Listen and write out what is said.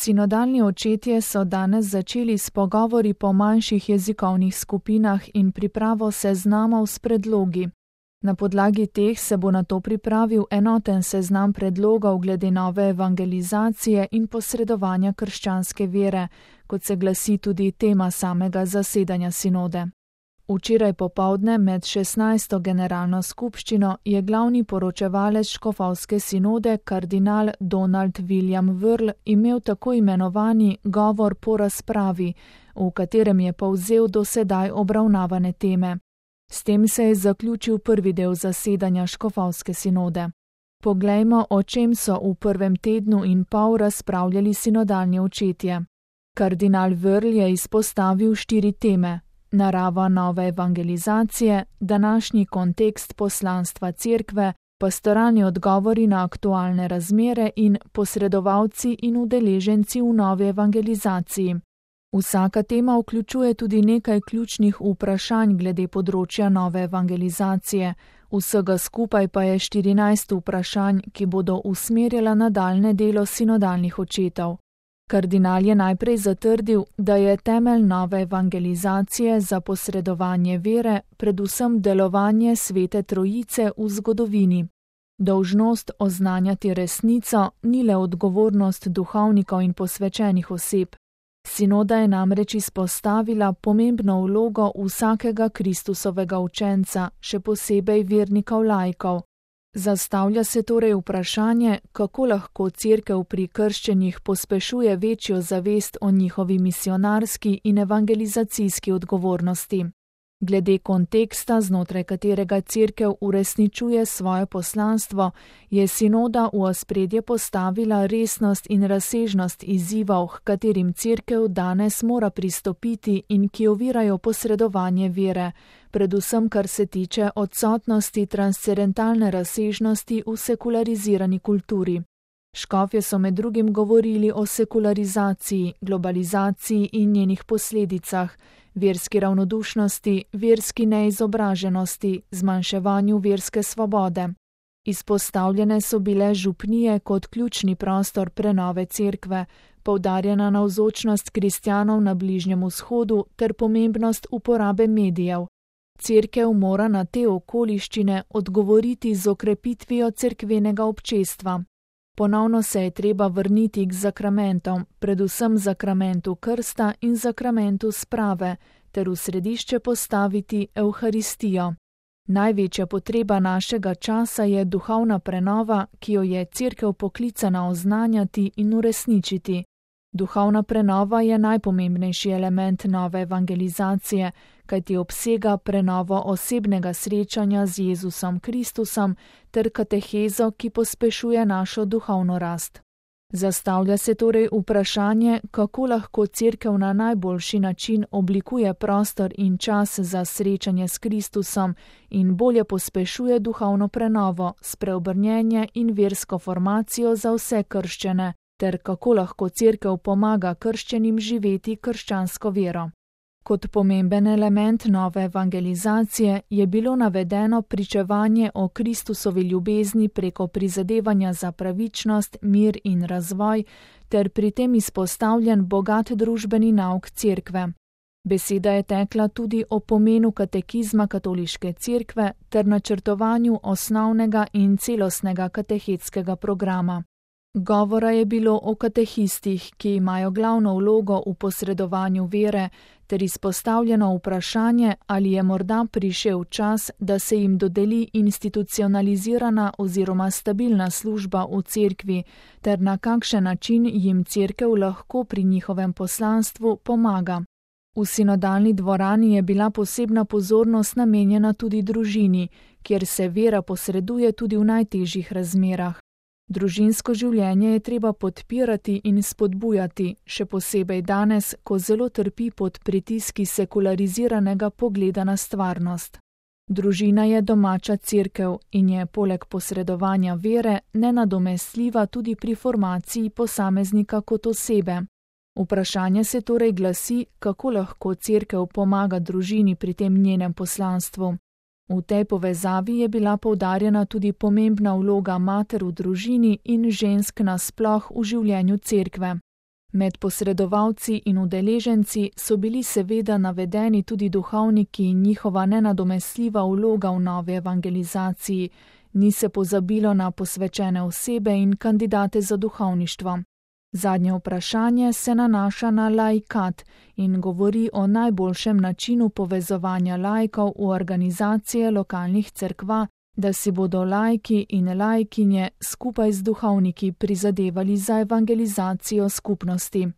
Sinodalni očetje so danes začeli s pogovori po manjših jezikovnih skupinah in pripravo seznamov s predlogi. Na podlagi teh se bo nato pripravil enoten seznam predlogov glede nove evangelizacije in posredovanja krščanske vere, kot se glasi tudi tema samega zasedanja sinode. Včeraj popoldne med 16. generalno skupščino je glavni poročevalec škofovske sinode kardinal Donald William Wörl imel tako imenovani govor po razpravi, v katerem je povzel do sedaj obravnavane teme. S tem se je zaključil prvi del zasedanja škofovske sinode. Poglejmo, o čem so v prvem tednu in pol razpravljali sinodalni očetje. Kardinal Wörl je izpostavil 4 teme: narava nove evangelizacije, današnji kontekst poslanstva cerkve, pastoralni odgovori na aktualne razmere in posredovalci in udeleženci v novi evangelizaciji. Vsaka tema vključuje tudi nekaj ključnih vprašanj glede področja nove evangelizacije, vsega skupaj pa je 14 vprašanj, ki bodo usmerjala nadaljnje delo sinodalnih očetov. Kardinal je najprej zatrdil, da je temelj nove evangelizacije za posredovanje vere predvsem delovanje Svete Trojice v zgodovini. Dolžnost oznanjati resnico ni le odgovornost duhovnikov in posvečenih oseb. Sinoda je namreč izpostavila pomembno vlogo vsakega Kristusovega učenca, še posebej vernikov laikov. Zastavlja se torej vprašanje, kako lahko cerkev pri krščenih pospešuje večjo zavest o njihovi misionarski in evangelizacijski odgovornosti. Glede konteksta, znotraj katerega cerkev uresničuje svoje poslanstvo, je sinoda v ospredje postavila resnost in razsežnost izzivov, h katerim cerkev danes mora pristopiti in ki ovirajo posredovanje vere, predvsem kar se tiče odsotnosti transcendentalne razsežnosti v sekularizirani kulturi. Škofje so med drugim govorili o sekularizaciji, globalizaciji in njenih posledicah, verski ravnodušnosti, verski neizobraženosti, zmanjševanju verske svobode. Izpostavljene so bile župnije kot ključni prostor prenove cerkve, poudarjena navzočnost kristjanov na Bližnjem vzhodu ter pomembnost uporabe medijev. Cerkev mora na te okoliščine odgovoriti z okrepitvijo cerkvenega občestva. Ponovno se je treba vrniti k zakramentom, predvsem zakramentu krsta in zakramentu sprave, ter v središče postaviti Evharistijo. Največja potreba našega časa je duhovna prenova, ki jo je cerkev poklicana oznanjati in uresničiti. Duhovna prenova je najpomembnejši element nove evangelizacije, kajti obsega prenovo osebnega srečanja z Jezusom Kristusom ter katehezo, ki pospešuje našo duhovno rast. Zastavlja se torej vprašanje, kako lahko cerkev na najboljši način oblikuje prostor in čas za srečanje s Kristusom in bolje pospešuje duhovno prenovo, spreobrnjenje in versko formacijo za vse krščene, ter kako lahko cerkev pomaga krščenim živeti krščansko vero. Kot pomemben element nove evangelizacije je bilo navedeno pričevanje o Kristusovi ljubezni preko prizadevanja za pravičnost, mir in razvoj, ter pri tem izpostavljen bogat družbeni nauk cerkve. Beseda je tekla tudi o pomenu katekizma katoliške cerkve ter načrtovanju osnovnega in celostnega katehetskega programa. Govora je bilo o katehistih, ki imajo glavno vlogo v posredovanju vere, ter izpostavljeno vprašanje, ali je morda prišel čas, da se jim dodeli institucionalizirana oziroma stabilna služba v cerkvi, ter na kakšen način jim cerkev lahko pri njihovem poslanstvu pomaga. V sinodalni dvorani je bila posebna pozornost namenjena tudi družini, kjer se vera posreduje tudi v najtežjih razmerah. Družinsko življenje je treba podpirati in spodbujati, še posebej danes, ko zelo trpi pod pritiski sekulariziranega pogleda na stvarnost. Družina je domača cerkev in je poleg posredovanja vere nenadomestljiva tudi pri formaciji posameznika kot osebe. Vprašanje se torej glasi, kako lahko cerkev pomaga družini pri tem njenem poslanstvu. V tej povezavi je bila poudarjena tudi pomembna vloga mater v družini in žensk nasploh v življenju cerkve. Med posredovalci in udeleženci so bili seveda navedeni tudi duhovniki in njihova nenadomestljiva vloga v novi evangelizaciji, ni se pozabilo na posvečene osebe in kandidate za duhovništvo. Zadnje vprašanje se nanaša na laikat in govori o najboljšem načinu povezovanja laikov v organizacije lokalnih cerkva, da si bodo laiki in laikinje skupaj z duhovniki prizadevali za evangelizacijo skupnosti.